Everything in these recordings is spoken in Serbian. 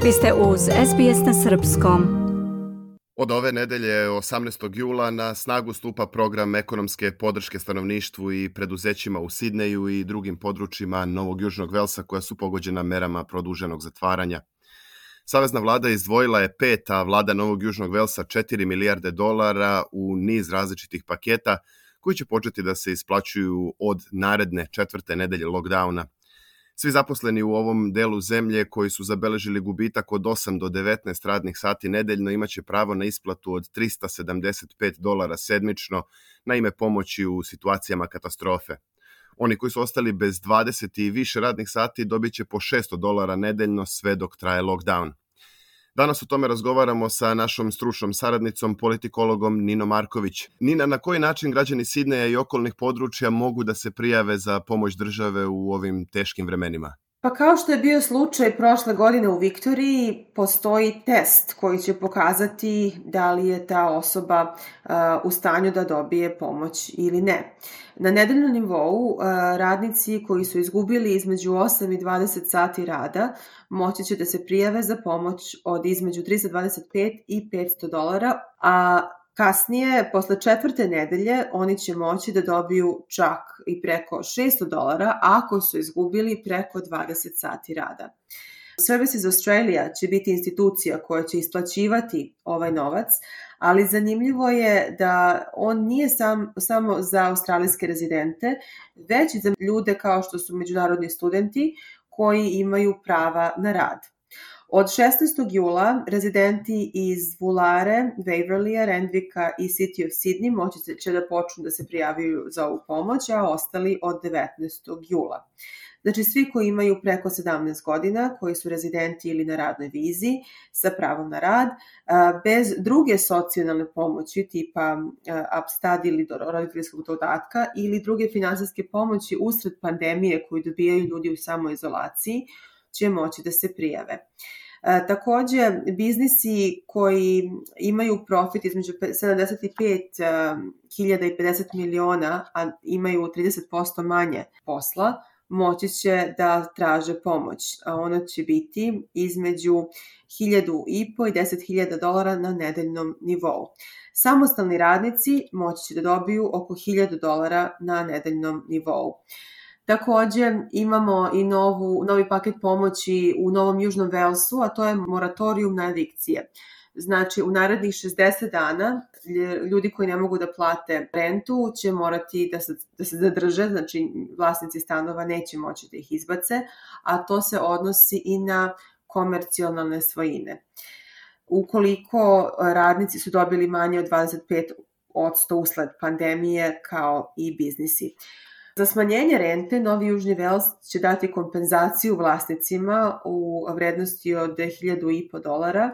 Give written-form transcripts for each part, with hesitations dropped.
Vi ste uz SBS na srpskom. Od ove nedelje, 18. jula, na snagu stupa program ekonomske podrške stanovništvu i preduzećima u Sidneju i drugim područjima Novog Južnog Velsa koja su pogođena merama produženog zatvaranja. Savezna vlada izdvojila je 5, a vlada Novog Južnog Velsa $4 milijarde u niz različitih paketa koji će početi da se isplaćuju od naredne 4. nedelje lockdowna. Svi zaposleni u ovom delu zemlje koji su zabeležili gubitak od 8 do 19 radnih sati nedeljno imaće pravo na isplatu od $375 sedmično na ime pomoći u situacijama katastrofe. Oni koji su ostali bez 20 i više radnih sati dobit će po $600 nedeljno sve dok traje lockdown. Danas o tome razgovaramo sa našom stručnom saradnicom, politikologom Ninom Marković. Nina, na koji način građani Sidneja i okolnih područja mogu da se prijave za pomoć države u ovim teškim vremenima? Pa kao što je bio slučaj prošle godine u Viktoriji, postoji test koji će pokazati da li je ta osoba u stanju da dobije pomoć ili ne. Na nedeljnom nivou radnici koji su izgubili između 8 i 20 sati rada moći će da se prijave za pomoć od između $325 i $500, a kasnije, posle 4. nedelje, oni će moći da dobiju čak i preko $600 ako su izgubili preko 20 sati rada. Services Australia će biti institucija koja će isplaćivati ovaj novac, ali zanimljivo je da on nije samo za australijske rezidente, već i za ljude kao što su međunarodni studenti koji imaju prava na rad. Od 16. jula rezidenti iz Woollare, Waverleya, Randwicka i City of Sydney moći će da počnu da se prijavaju za ovu pomoć, a ostali od 19. jula. Znači svi koji imaju preko 17 godina, koji su rezidenti ili na radnoj vizi sa pravom na rad, bez druge socijalne pomoći tipa upstudy ili roditeljskog dodatka ili druge finansijske pomoći usred pandemije koju dobijaju ljudi u samoizolaciji, će moći da se prijave. Takođe, biznisi koji imaju profit između 75.000 i 50 miliona, a imaju 30% manje posla, moći će da traže pomoć. Ona će biti između $1,500 i $10,000 na nedeljnom nivou. Samostalni radnici moći će da dobiju oko $1,000 na nedeljnom nivou. Takođe imamo i novi paket pomoći u Novom Južnom Velsu, a to je moratorijum na evikcije. Znači, u narednih 60 dana ljudi koji ne mogu da plate rentu će morati da se zadrže, znači vlasnici stanova neće moći da ih izbace, a to se odnosi i na komercijalne svojine. Ukoliko radnici su dobili manje od 25% usled pandemije, kao i biznisi. Za smanjenje rente, Novi Južni Vels će dati kompenzaciju vlasnicima u vrednosti od $1,500,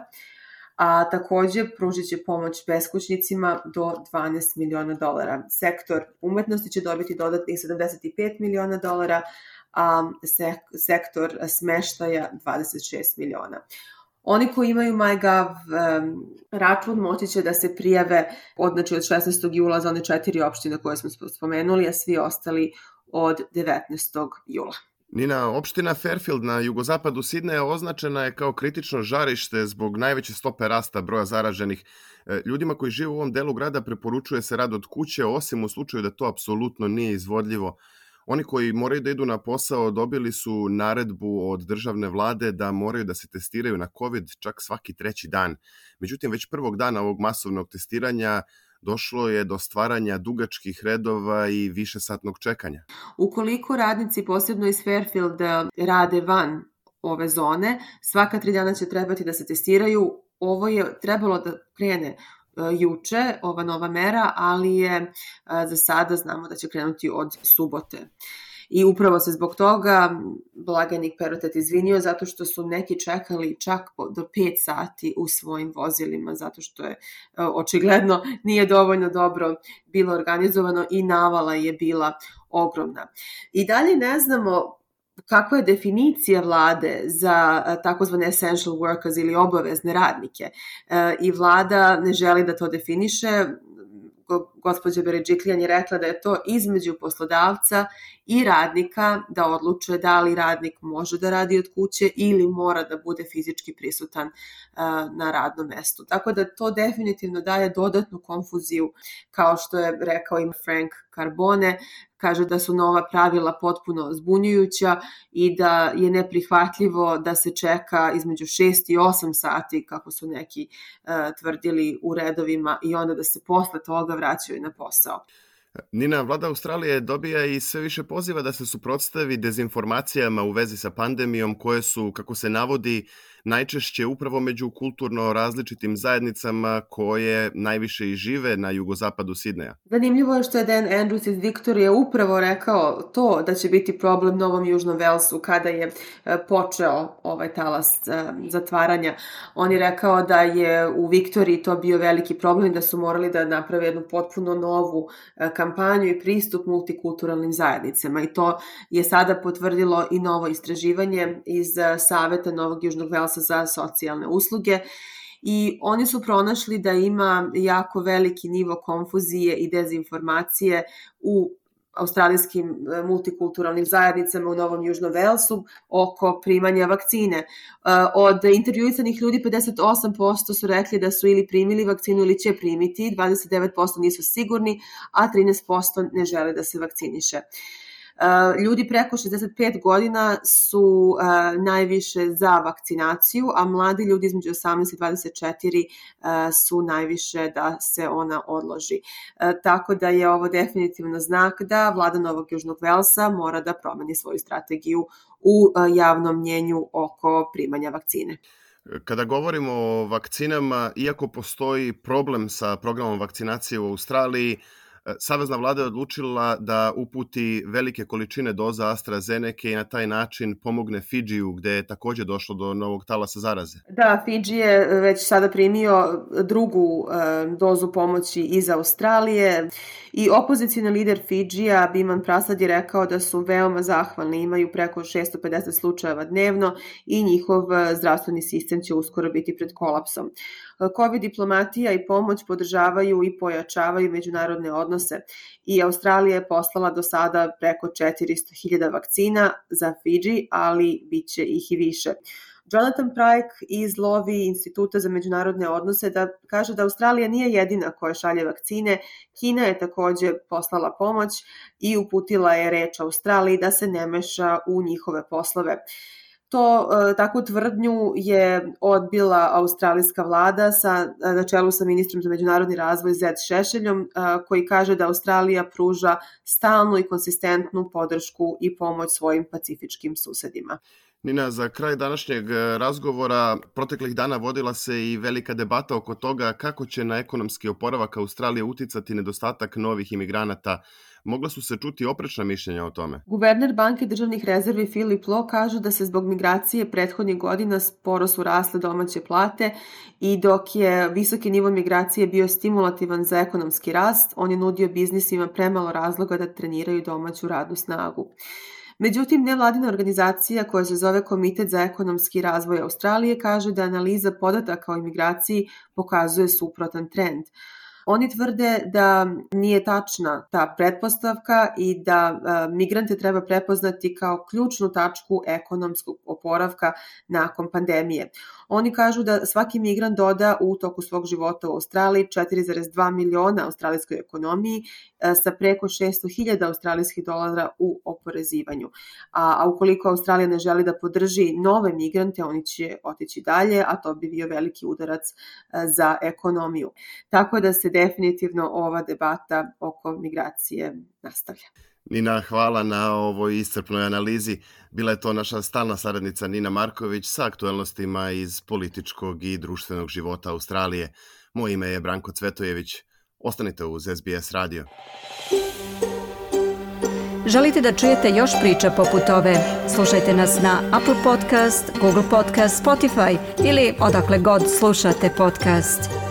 a takođe pružit će pomoć beskućnicima do $12 miliona. Sektor umetnosti će dobiti dodatnih $75 miliona, a sektor smeštaja $26 miliona. Oni koji imaju MyGov račun moći će da se prijave od 16. jula za one 4 opštine koje smo spomenuli, a svi ostali od 19. jula. Nina, opština Fairfield na jugozapadu Sidneja označena je kao kritično žarište zbog najveće stope rasta broja zaraženih. Ljudima koji žive u ovom delu grada preporučuje se rad od kuće, osim u slučaju da to apsolutno nije izvodljivo. Oni koji moraju da idu na posao dobili su naredbu od državne vlade da moraju da se testiraju na COVID čak svaki 3. dan. Međutim, već prvog dana ovog masovnog testiranja došlo je do stvaranja dugačkih redova i višesatnog čekanja. Ukoliko radnici, posebno iz Fairfielda, rade van ove zone, svaka 3 dana će trebati da se testiraju. Ovo je trebalo da krene juče, ova nova mera, ali je za sada znamo da će krenuti od subote. I upravo se zbog toga blagajnik Perrottet izvinio zato što su neki čekali čak do 5 sati u svojim vozilima zato što je očigledno nije dovoljno dobro bilo organizovano i navala je bila ogromna. I dalje ne znamo kakva je definicija vlade za takozvane essential workers ili obavezne radnike. I vlada ne želi da to definiše. Gospođa Berejiklian je rekla da je to između poslodavca i radnika da odluče da li radnik može da radi od kuće ili mora da bude fizički prisutan na radnom mestu. Tako da to definitivno daje dodatnu konfuziju, kao što je rekao i Frank Carbone, kaže da su nova pravila potpuno zbunjujuća i da je neprihvatljivo da se čeka između 6 i 8 sati, kako su neki tvrdili, u redovima i onda da se posle toga vraćaju na posao. Nina, vlada Australije dobija i sve više poziva da se suprotstavi dezinformacijama u vezi sa pandemijom koje su, kako se navodi, najčešće upravo među kulturno različitim zajednicama koje najviše i žive na jugozapadu Sidneja. Zanimljivo je što je Dan Andrews iz Viktorije upravo rekao to da će biti problem Novom Južnom Velsu kada je počeo ovaj talas zatvaranja. On je rekao da je u Viktoriji to bio veliki problem, da su morali da naprave jednu potpuno novu kampanju i pristup multikulturalnim zajednicama i to je sada potvrdilo i novo istraživanje iz Saveta Novog Južnog Velsa za socijalne usluge i oni su pronašli da ima jako veliki nivo konfuzije i dezinformacije u australijskim multikulturalnim zajednicama u Novom Južnom Velsu oko primanja vakcine. Od intervjuisanih ljudi 58% su rekli da su ili primili vakcinu ili će primiti, 29% nisu sigurni, a 13% ne žele da se vakciniše. Ljudi preko 65 godina su najviše za vakcinaciju, a mladi ljudi između 18 i 24 su najviše da se ona odloži. Tako da je ovo definitivno znak da vlada Novog Južnog Velsa mora da promeni svoju strategiju u javnom mnjenju oko primanja vakcine. Kada govorimo o vakcinama, iako postoji problem sa programom vakcinacije u Australiji, Savezna vlada je odlučila da uputi velike količine doza AstraZeneca i na taj način pomogne Fidžiju, gde je takođe došlo do novog talasa zaraze. Da, Fidži je već sada primio drugu dozu pomoći iz Australije i opozicijni lider Fidžija, Biman Prasad, je rekao da su veoma zahvalni, imaju preko 650 slučajeva dnevno i njihov zdravstveni sistem će uskoro biti pred kolapsom. COVID diplomatija i pomoć podržavaju i pojačavaju međunarodne odnose i Australija je poslala do sada preko 400.000 vakcina za Fidži, ali bit će ih i više. Jonathan Pryke iz Lowy Instituta za međunarodne odnose kaže da Australija nije jedina koja šalje vakcine. Kina je takođe poslala pomoć i uputila je reč Australiji da se ne meša u njihove poslove. Takvu tvrdnju je odbila australijska vlada na čelu sa ministrom za međunarodni razvoj Zed Šešeljom, koji kaže da Australija pruža stalnu i konsistentnu podršku i pomoć svojim pacifičkim susedima. Nina, za kraj današnjeg razgovora proteklih dana vodila se i velika debata oko toga kako će na ekonomski oporavak Australije uticati nedostatak novih imigranata. Mogla su se čuti oprečna mišljenja o tome. Guverner Banke državnih rezervi Philip Lowe kaže da se zbog migracije prethodnih godina sporo su rasle domaće plate i dok je visoki nivo migracije bio stimulativan za ekonomski rast, on je nudio biznisima premalo razloga da treniraju domaću radnu snagu. Međutim, nevladina organizacija koja se zove Komitet za ekonomski razvoj Australije kaže da analiza podataka o imigraciji pokazuje suprotan trend. Oni tvrde da nije tačna ta pretpostavka i da migrante treba prepoznati kao ključnu tačku ekonomskog oporavka nakon pandemije. Oni kažu da svaki migrant doda u toku svog života u Australiji 4,2 miliona australijskoj ekonomiji sa preko 600.000 australijskih dolara u oporezivanju. A ukoliko Australija ne želi da podrži nove migrante, oni će otići dalje, a to bi bio veliki udarac za ekonomiju. Tako da se definitivno ova debata oko migracije nastavlja. Nina, hvala na ovoj iscrpnoj analizi. Bila je to naša stalna saradnica Nina Marković sa aktuelnostima iz političkog i društvenog života Australije. Moje ime je Branko Cvetojević. Ostanite uz SBS radio. Želite da čujete još priča poput ove? Slušajte nas na Apple Podcast, Google Podcast, Spotify ili odakle god slušate podcast.